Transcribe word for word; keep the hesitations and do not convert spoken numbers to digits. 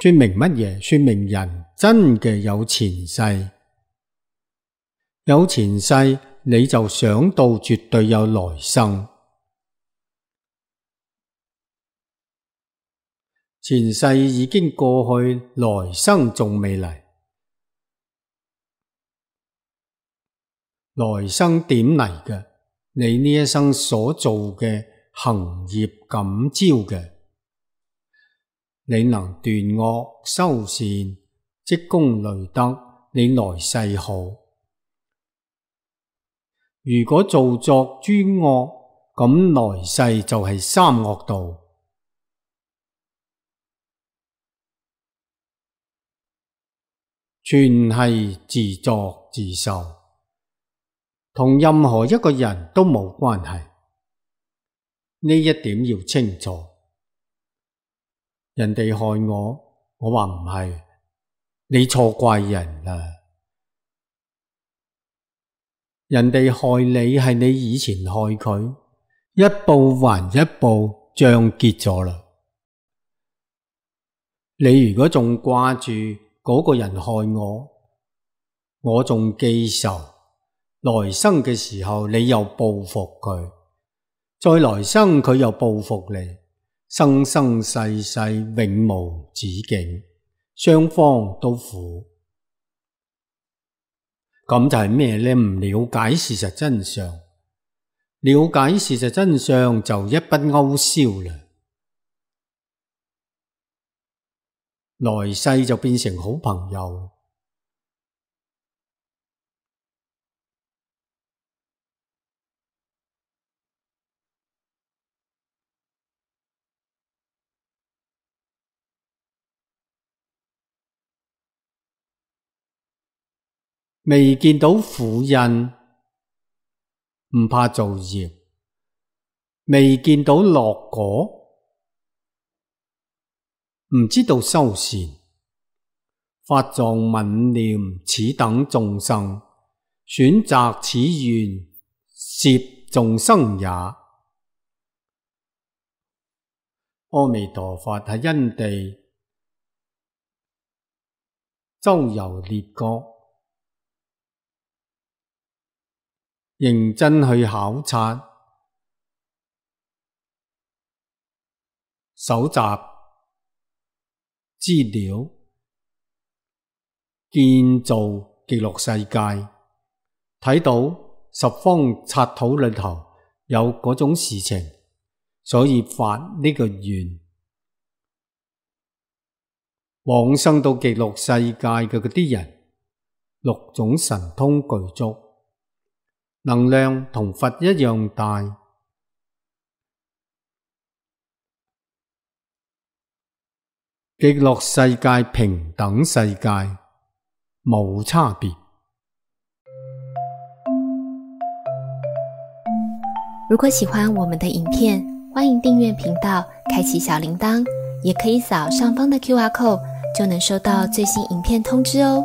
說明乜嘢？說明人真嘅有前世，有前世你就想到絕對有來生。前世已經過去，來生仲未嚟。來生點嚟嘅？你呢一生所做嘅行業感召嘅。你能斷惡修善，積功累德，你來世好。如果做作諸惡，咁來世就係三惡道。全係自作自受，同任何一個人都冇關係。呢一點要清楚。人哋害我，我話唔係，你錯怪人啦。人哋害你係你以前害佢，一報還一報，賬結咗啦。你如果仲掛住嗰個人害我，我仲記仇，來生嘅時候你又報復佢，再來生佢又報復你，生生世世永無止境，雙方都苦。咁就係咩呢？唔了解事實真相，了解事實真相就一筆勾銷啦。來世就變成好朋友。未見到苦因，唔怕造業；未見到樂果，唔知道修善。法藏憫念此等眾生，選擇此願攝眾生也。阿彌陀佛喺因地周遊列國，認真去考察、搜集資料，建造極樂世界，睇到十方剎土裏頭有嗰種事情，所以發呢個願。往生到極樂世界嘅嗰啲人，六種神通具足，能量同佛一樣大。極樂世界平等世界，冇差別。如果喜歡我們的影片，歡迎訂閱頻道，開啟小鈴鐺，也可以掃上方的 Q R code，就能收到最新影片通知哦。